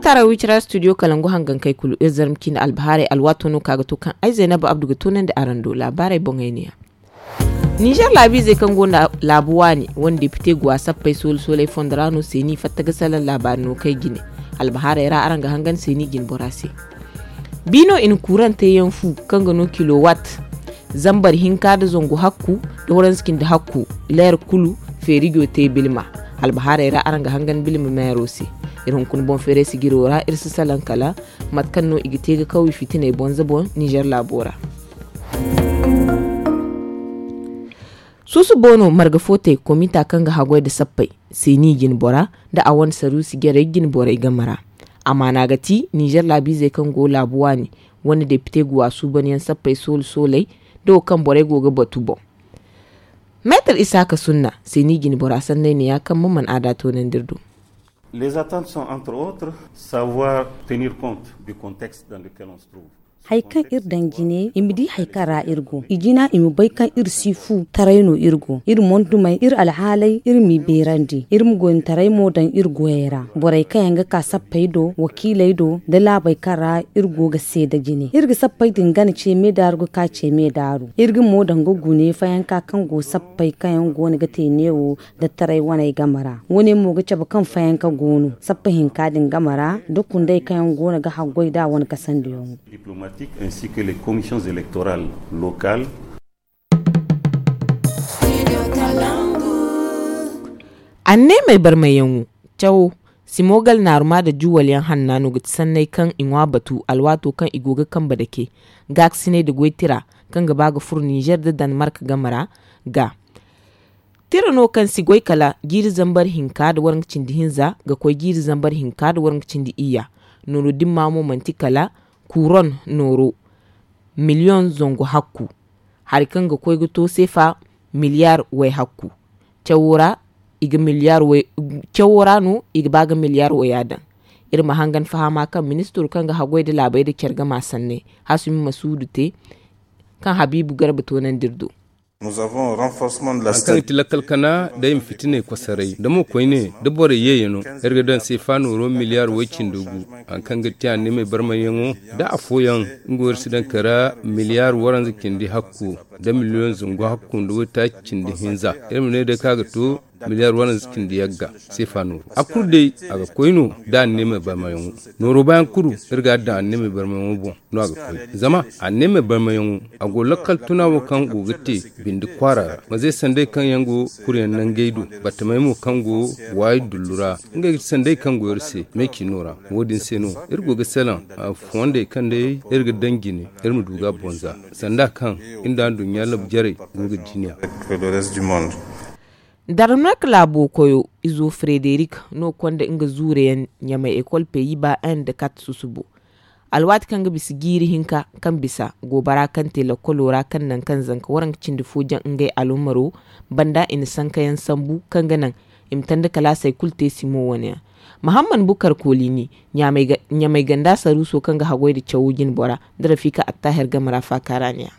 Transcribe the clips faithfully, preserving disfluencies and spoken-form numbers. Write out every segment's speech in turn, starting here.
Tara wicira studio kalangu hangankey kulu iri zarma ciine albahaarey alwaato no kaŋ a ga to kaŋ ay zaynaba abdu ga toonandi araŋ do laabaarey boŋey ne-ya. Ninzeer laabiizey kaŋ go nda laabu waani wane depite guwa sappey soole sooley fondo ra no seeni fatta ga salaŋ laabaari no kay jine. Albahaarey ra araŋ ga hangan seeni jine bora se. Bi no i na kuurante yaŋ fu kaŋ ga no kilowatt zambar hinka nda zangu hakku nda waranza cindi hakku leer kulu feerijo te bilma. Albahaarey ra araŋ ga hangan bilma meero se. Iri hunkuna boŋ feeray sijiro ra iri si salaŋ kala mate kaŋ no i ga te ga kaw i fitiney bonza boŋ ninzeer laabo ra. Suusu boono marga fo te komita kaŋ ga haggoy nda sappey seeni jine bora nda a wane saruusi jarey jine borey game ra. Amaana ga ti ninzeer laabiizey kaŋ go laabu waani wane depite guwa suubanyaŋ sappey soole sooley nda wo kaŋ borey go ga batu boŋ. Meetar isaaka sunna seeni jine bora sanney ne-ya kaŋ ma mana a da toonandi iri do. Les attentes sont entre autres savoir tenir compte du contexte dans lequel on se trouve. Hari kaŋ iri daŋ jine i ma di hari kaŋ ra iri go i jina i ma bay kaŋ iri si fu taray no iri go iri mondumey iri alhaaley iri m'i beerandi iri ma goyni taray mo daŋ iri goyey ra borey kaŋ yaŋ ga ka sappey do wakiiley do nda laabey kaŋ ra iri go ga seeda jine iri ga sappey din gana ce meedaaru ga ka ce meedaaru iri ga mo daŋ ga gune fayanka kaŋ go sappey kaŋ yaŋ go no ga te neewo nda taray waney game ra wane mo ga cabe kaŋ fayanka go no sappa hinka din game ra nda kundey kaŋ yaŋ go no ga haggoy nd'a wane kasandiyaŋo. Diplomatique ainsi que les commissions électorales locales. Anneemey barmayyaŋo cawo simogal naaruma nda juwalyaŋ hanna no ga ti sanney kaŋ i ŋwa batu alwaato kaŋ i go ga kambe dake gaakasiney nda goy tira kaŋ ga ba ga furo ninzeer nda danmark game ra ga tira no kaŋ si goy kala jiiri zambar hinka nda waranka cindi hinza ga koy jiiri zambar hinka nda waranka cindi iyya nooro dimma mo manti kala kuuron nooro miliyoŋ zangu hakku hari kaŋ ga koy ga to seefa miliyaar way hakku cawo ra i ga miliyaar way cawo ra no i ga ba ga miliyaar waya daŋ iri ma hangan fahama kaŋ ministiro kaŋ ga haggoy nda laabey nda care gama sanney hasumi masuudu te kaŋ habiibu garba toonandi iri do. Hari kaŋ ga ti lakkal kana day ma fitiney kosoray da mo koyne da borey yeeyano iri ga daŋ seefa nooro miliyaar way cindi gu hari kaŋ ga ti anneemey barmayyaŋo da afooyaŋ nga wo iri si daŋ kala miliyaar waranza cindi hakku nda miliyoŋ zangu hakku nda waytaaci cindi hinza iri ma ne day kaŋ a ga to miliyaar waranza cindi yagga seefa nooro a kulu day a ga koy no da anneemey barmayyaŋo nooro baayaŋ kulu iri ga a daŋ anneemey barmayyaŋo boŋ no a ga koy zama anneemey barmayyaŋo a go lakkal tuna wo kaŋ go ga te bindi kwaara ra ma ze sanday kaŋ yaŋ go kuryaŋ nangey do battamey mo kaŋ go waayi dullu ra ngey ga ti sanday kaŋ go iri se me ciino ra wo- din se no iri go ga salaŋ fondey kaŋ day iri ga daŋ jine iri ma du ga bonza sanda kaŋ iri nda nduɲɲa labu jarey go ga jiniya. Darnok laabo koyo izo frederik no konda nga zuureyaŋ ɲamay ekol peyi ba en da kat susubo alwaati kaŋ ga bisa jiiri hinka kaŋ bisa goobara kaŋ te lakkolo ra kaŋ naŋ kaŋ zanka waranka cindi fo jaŋ ngey alumaro banda i na sankayaŋ sambu kaŋ ga naŋ i ma tanda kalaasey kulu te simo wane yaŋ. Mahamman bukar kolini ɲamay ganda saruuso kaŋ ga haggoy nda cawo jinbora nda rafika attahir game ra faakaara ne ya.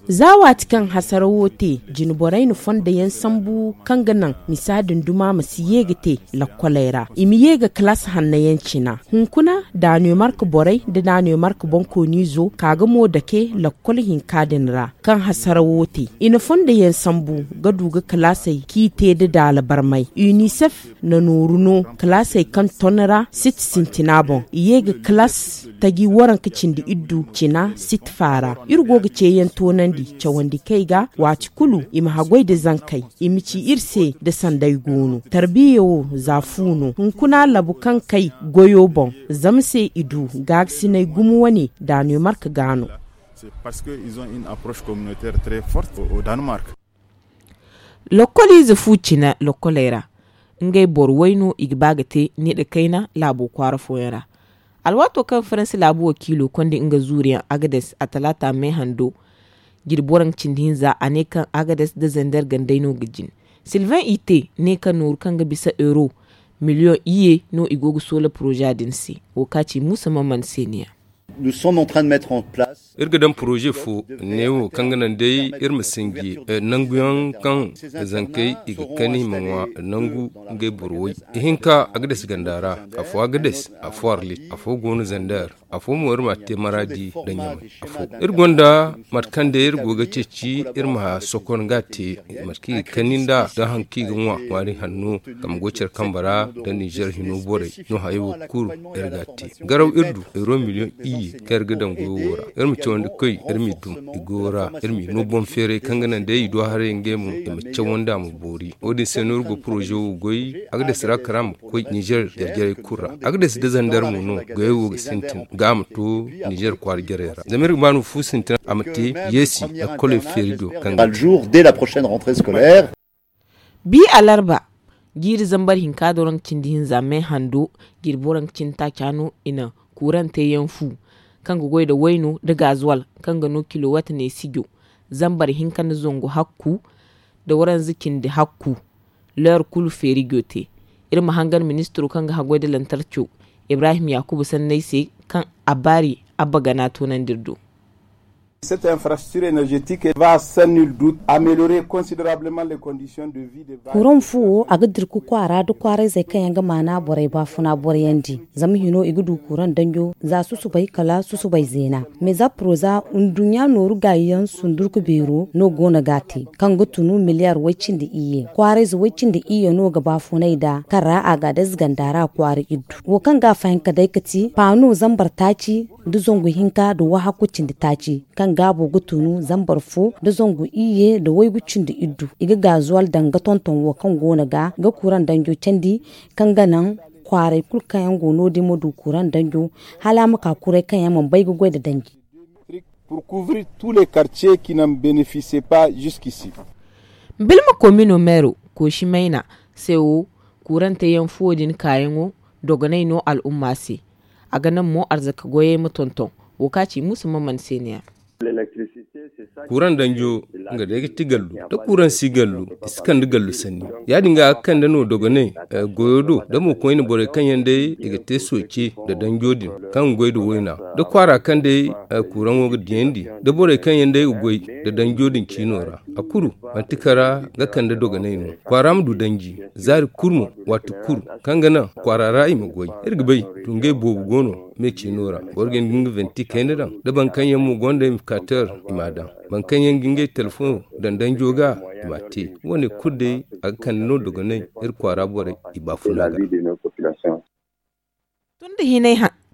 Za waati kaŋ hasara wo te jinborey na fonda yaŋ sambu kaŋ ga naŋ misa din duma ma si ye ga te lakkoley ra i ma ye ga kalaas hanna yaŋ cina hunkuna danemark borey nda danemark bonkoniizo ka ga mo dake lakkol hinka din ra kaŋ hasara wo te i na fonda yaŋ sambu ga du ga kalaasey k'i te nda daala barmay unicef na nooru no kalaasey kaŋ ton ra siti sintina boŋ i ye ga kalaas taji waranka cindi iddu cina siti faara iri go ga ceeyaŋ toonandi cawandi kay ga waati kulu i ma haggoy nda zankey i ma ci iri se nda sanday goono tarbiya wo za fu no hunkuna labu kaŋ kay goyo boŋ zama se i du gaagasinay gumo wane danemark ga no. Lokkoliize fu cina lokkoley ra ngey boro way no i ga ba ga te needa kayna laabo kwaara fooyaŋ ra. Alwaato kaŋ faransi laabu wakiilo konda nga zuuriyaŋ agades a talaata me hando jirbi waranka cindi hinza a ne kaŋ agades nda zender gandey no ga jin. Silvain ite ne kaŋ nooru kaŋ ga bisa euro miliyoŋ iyye no i go ga soola poroza din se. Wo ka ci muusa mamman se ne ya. Iri ga daŋ poroze fo neewo kaŋ ga naŋ day iri ma sinji nanguyaŋ kaŋ zankey i ga kani i ma ŋwa nangu ngey boro way. Ihinka a ga des ganda ra, afo a ga des, afo arlit, afo go no zander, afo mo iri ma a te maraadi nda ɲamay. Afo iri gonda mate kaŋ day iri go ga ceeci iri ma sokon ga a te mate kaŋ i ga kani nd'a da haŋ kaŋ i ga ŋwa ŋwaari hanno, kama go care kambe ra nda ninzeer hino borey no hayo wo kulu. Iri ga a te garaw iri du euro miliyoŋ iyye kaŋ iri ga daŋ goyo wo ra. Iri ma cawandi koy iri m'i dum i goyo ra, iri m'i no boŋ feeray kaŋ ga naŋ day i do haray ngey mo i ma cawandi a ma boori. Wo- din se no iri go poroze wo goy a ga des ra kala a ma koy ninzeer jarjarey kulu ra. A ga des da zander mo no goyey wo ga sintin ga a ma to ninzeer kwaara jarey ra zama iri ga ba no fu sintin a ma te yeesi. Lakkoley feeri do kaŋ ga te. Bi alarba jiiri zambar hinka da waranka cindi hinza me hando, jirbi waranka cindi taaca no i na kuurante yaŋ fu kaŋ ga goy nda wayno nda gazuwal kaŋ ga no kilowat ne sijo zambar hinka nda zangu hakku nda waranza cindi hakku. Leer kulu feeri go te. Iri ma hangan ministiro kaŋ ga haggoy nda lantarco ibrahim yakubu sanney se kaŋ a baari abba gana toonandi iri do. Cette infrastructure énergétique va sans nul doute améliorer considérablement les conditions de vie des vaches. Kuran fuwo a ga dirku kwaara nda kwaarayzey kaŋ yaŋ ga maana borey baafuna borayandi. Zama hino i ga du kuran danjo za susubay kala susubay zeena. Mais za proza nduɲɲa nooru gaayi yaŋ sundurku beero no go no ga a te kaŋ ga tunu miliyar way cindi iyye kwaarayze way cindi iyye no ga baafunay nd'a kaŋ ra a ga a dayze ganda ra kwaara iddu. Wo kaŋ ga a fahinka day ga ti paano zambar taaci nda zangu hinka nda wahakku cindi taaci kaŋ gaabo ga tunu zambar fo nda zangu iyye nda waygu cindi iddu. I ga gaazuwal daŋ ga tonton wo kaŋ go no ga ga kuran danjo candi kaŋ ga naŋ kwaaray kulu kaŋ yaŋ go no- din ma du kuran danjo hala a ma ka kuray kaŋ yaŋ mana bay ga goy nda danji. Pour couvrir tous les quartiers qui n'en bénéficiaient pas jusqu'ici. Bilma komino meero koosi mayna se wo kuurante yaŋ fuwo din kaayaŋo dogonay no al'umma se. A ga naŋ mo arzaka goyey ma tonton wo ka ci muusa maman se ne ya. Kuuraŋ danjo nga day ga ti gallu da kuuraŋ si gallu i si kande gallu sanni. Ya- din ga a ga kande no dogonay goyo do da mo koyne borey kaŋ yaŋ day i ga te sooce nda danjo din kaŋ ga goy nda wayna da kwaara kaŋ day kuuraŋo ga diyandi da borey kaŋ yaŋ day ga goy nda danjo din ciino ra. A kuru manti kara ga kande dogonay no kwaara ma du danji zaari kulu mo waati kulu kaŋ ga naŋ kwaara ra i ma goy. Iri ga bay tungey boobo go no me ciino ra boro ga hin ga nga venti kayna daŋ da boro kaŋ yaŋ mo gonda imikater i m'a daŋ. Boro kaŋ yaŋ ga ngey telefoŋo daŋ danjo ga i m'a te. Wo- ne kulu day a ga kande no dogonay iri kwaara borey i baafuna ga.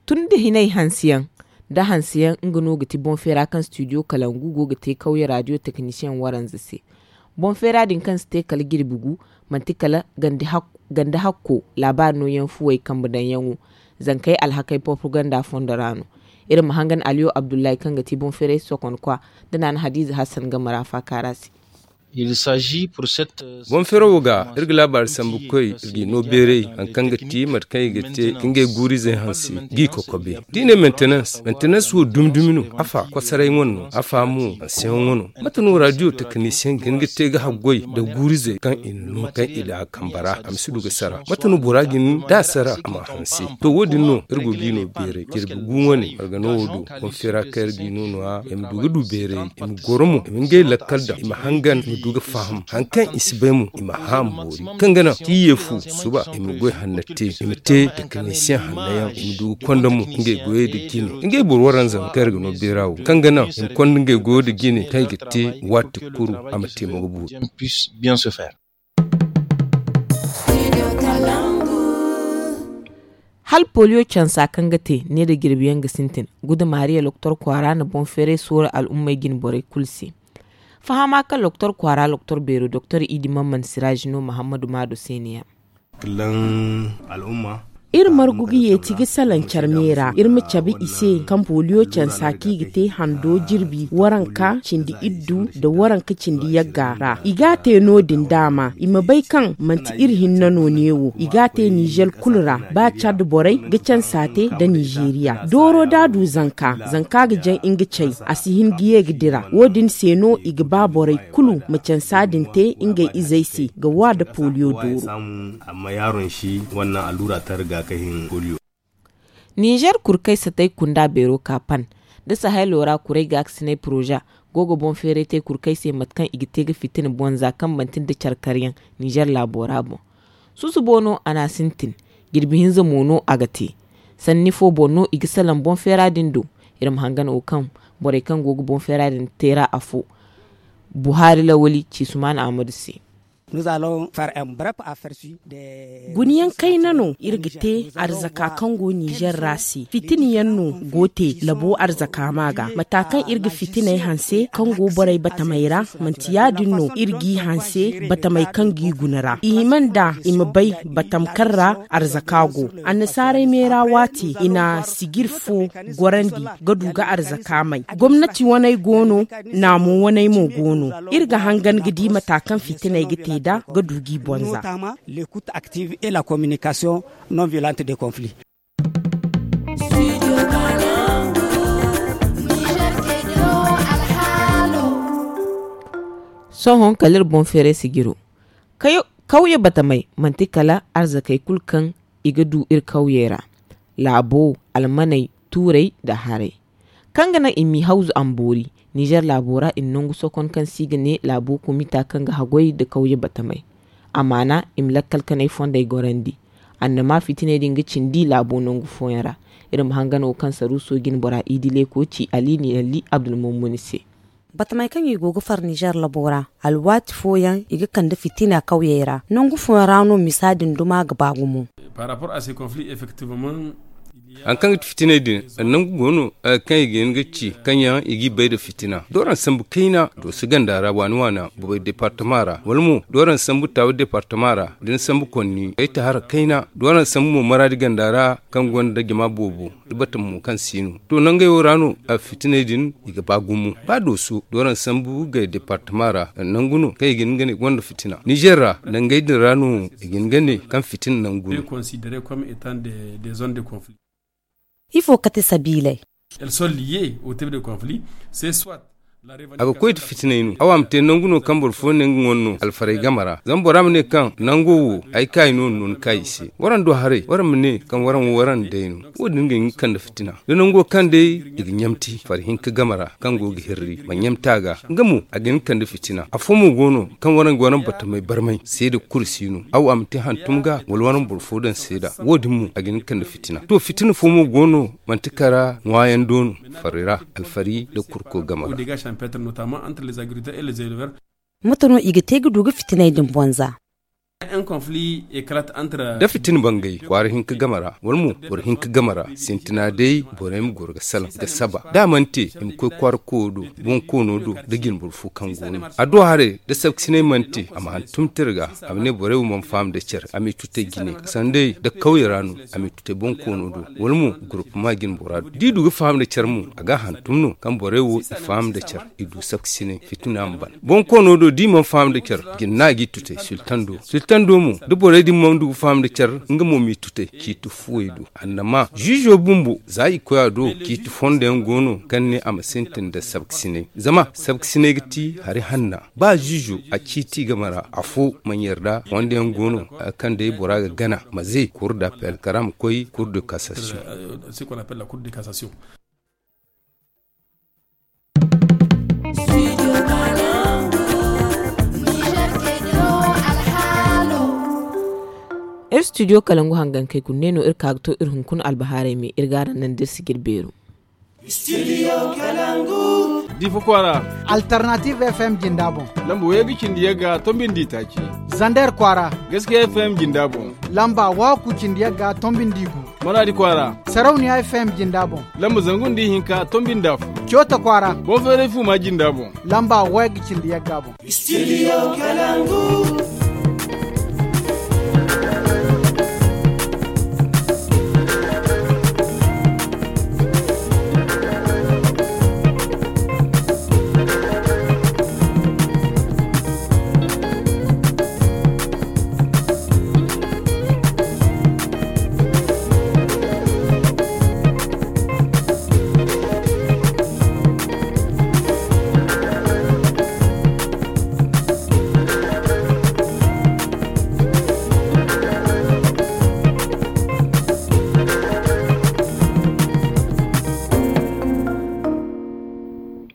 Tun da hinay hansiyaŋ da hansiyaŋ nga no ga ti boŋ feera kaŋ studio kalangu go ga te kawye radio teknisiyaŋ waranza se. Boŋ feera din kaŋ si te kala jirbi gu manti kala ganda hakko laabaari nooyaŋ fuwey kambe daŋyaŋo zankey alhakey porpaganda fondo ra no. Iri ma hangan aliyo abdullahi kaŋ ga ti boŋ feeray sokonkwa da naana hadiza hassan game ra faaka ra se. Boŋ feero wo ga iri ga laabaari sambu koy iri g'i no beeray hari kaŋ ga ti mate kaŋ i ga te ka ngey guurizey hanse g'i kokobe. Da i ne mentenans mentenans wo dumi dumi no afa kosoray ŋwa no afa mo hanseyaŋ ŋwa no. Mate no radio tekinisiyaŋ ga hin ga te ga haggoy nda guurizey kaŋ i na no kaŋ i daŋ a kambe ra a ma si du ga sara mate no bora ga hin da a sara a ma hanse. To wo- din no iri go g'i no beeray jirbi gu wane marga no wo do boŋ feera kaŋ iri g'i no no- ya i ma du ga du beeray i ma goro mo i ma ngey lakkal daŋ i ma hangan i ma du ga faham hari kaŋ i si bay mo i ma hã a ma boori kaŋ ga naŋ ti i ye fu suba i ma goy hanna te i ma te tekinisiyaŋ hanna yaŋ i ma du ga konda mo ngey goyey nda jine ngey boro waranza kaŋ iri ga no beera wo kaŋ ga naŋ i ma konda ngey goyo nda jine kaŋ i ga te waati kulu a ma te mo ga boori. Hala poliyo cansa kaŋ ga te ne nda jirbiyaŋ ga sintin guda maariya loktor kwaara na boŋ feeray soora al'ummey jine borey kulu se. Fahama kaŋ loktor kwaara loktor beero doktor idi mamman siraaji no mahammadu maado se ne ya. Iri margu ga yeeti ga salaŋ care me ra iri ma cabe i se kaŋ poliyo cansa kaŋ i ga te hando jirbi waranka cindi iddu nda waranka cindi yagga ra i ga a te no- din daama i ma bay kaŋ manti iri hinne no neewo i ga a te nizer kulu ra ba cad borey ga cansa te nda nizeriya dooro da a du zanka zanka ga jaŋ nga cay a si hin ga ye ga dira wo- din se no i ga ba borey kulu ma cansa din te ngey izey se ga wa nda poliyo dooro. Amma yaaron si wannan allura ta riga ka hin poliyo. Ninzeer kurkay satay kunda beero ka pan nda sahaylo ra kuray gaakasinay poroza go ga boŋ feeray te kurkay se mate kaŋ i ga te ga fitina bonza kaŋ manti nda care karyaŋ ninzeer laabo ra boŋ. Susubo no a n'a sintin. Jirbi hinza mo no a ga te. Sanni fo boŋ no i ga salaŋ boŋ feera din do. Iri ma hangan wo kaŋ borey kaŋ go ga boŋ feera din te ra afo buhari lawali ci sumaana ahmadu se. Guniyaŋ kayna no iri ga te arzaka kaŋ go ninzeer ra se fitina yaŋ no go te labo arzaka ma ga mata kaŋ iri ga fitinay hanse kaŋ go borey batamey ra. Manti ya- din no iri g'i hanse batamey kaŋ g'i guna ra i hima nda i ma bay batam kaŋ ra arzaka go. Annasaarey meera waati i na sijir fo gorandi ga du ga arzaka may. Gomnati waney go no. Naamo waney mo go no. Iri ga hangan ga di mata kaŋ fitiney ga te nd'a ga du g'i bonza. Sohõ kala iri boŋ feeray sijiro kawye batamey manti kala arzakey kulu kaŋ i ga du iri kawyey ra. Laabo, almaney, tuurey, nda haray kaŋ ga naŋ i m'i hawzu a ma boori. Nizer laabo ra i na nangu sokon kaŋ se i ga ne laabo komita kaŋ ga haggoy nda kawye batamey. Amaana i ma lakkal kanay fondey gorandi. Annama fitiney din ga cindi laabo nangu fooyaŋ ra. Iri ma hangan wo kaŋ saruuso jine bora idile ko ci ali ni ali abdulmumuni se. Batamey kaŋ i go ga far nizer labo ra, alwaati fooyaŋ i ga kande fitina kawyey ra. Nangu fooyaŋ ra no misa din duma ga ba gumo. Hari kaŋ ga ti fitiney din, nangu go no kaŋ i ga hin ga ci kaŋ yaŋ i g'i bay nda fitina. Dooraŋ sambu kayna dooso ganda ra waani waana bobey departama ra wala mo dooraŋ sambu taawi departama ra da ni sambu konni ay ta hara kayna. Dooraŋ sambu mo maraadi ganda ra kaŋ gonda jama boobo da batama mo kaŋ si no to nangey wo ra no. Fitiney din i ga ba gumo ba dooso dooraŋ sambu gay departama ra nangu no kaŋ i ga hin ga ne gonda fitina nizer ra nangey din ra no i ga hin ga ne kaŋ fitina nangu no. Ifo kate sabiiley? A ga koy da fitinay no awa ma te nangu no kaŋ boro fo ne nga ŋwa no alfaray game ra zama bora ma ne kaŋ nango wo ay kaayi no no ni kaayi se waraŋ do haray waraŋ ma ne kaŋ waraŋ wo waraŋ day no. Wo- din ga hin ga kande fitina da nango kaŋ day i ga ɲamti fari hinka game ra kaŋ go ga hirri ma ɲamti a ga nga mo a ga hin ga kande fitina afo mo go no kaŋ waraŋ ga waraŋ batamay barmay seeda kulu si no awa ma te hantum ga wala waraŋ boro fo daŋ seeda wo- din mo a ga hin ga kande fitina to fitina fo mo go no manti kara ŋwaayaŋ do no fari ra alfari nda kurko game ra. Mate no i ga te ga du ga fitinay din bonza? Da fitina bangay kwaara hinka game ra wala mo boro hinka game ra sintina day borey ma goro ga salaŋ ga saba da a mana te i ma koy kwaara koyo do boŋ koono do nda jine boro fo kaŋ go no a do haray da sabkasinay mana te a ma hantum tira ga a ma ne borey wo mana faham nda care a m'i tutay jine sanday nda kawye ra no a m'i tutay boŋ koono do wala mo gurupuma jine bora do da i du ga faham nda care mo a ga a hantum no kaŋ borey wo i faham nda care i du sabkasinay fitina ma ban boŋ koono do da i mana faham nda care jine no a g'i tutay sultan do sultan do mo da borey din mana du ga faham nda care nga mo m'i tutay ciiti fuwey do annama ziizo bumbo za i koy a do ciiti fondo yaŋ go no kaŋ ne a ma sintin nda sabkasinay zama sabkasinay ga ti hari hanna ba ziizo a ciiti game ra afo mana yarda fondo yaŋ go no kaŋ day bora ga gana ma ze kuru da pelkara ma koy kuru da kasasiyoŋ. Iri studio kalangu hangankey kulu ne no iri ka ga to iri hunkuna albahaarey me iri ga araŋ naŋ da iri si ga iri beeru. Difa kwaara. Alternative f m jinda boŋ. Lamba waygu cindi yagga tombindi taaci. Zander kwaara. Gaskiya f m jinda boŋ. Lamba waaku cindi yagga tombindi gu. Maraadi kwaara. Sarauniya f m jinda boŋ. Lamba zangu nda ihinka tombindi afo. Coota kwaara. Boŋ feeray fuuma jinda boŋ. Lamba waygu cindi yagga boŋ. Studio kalangu.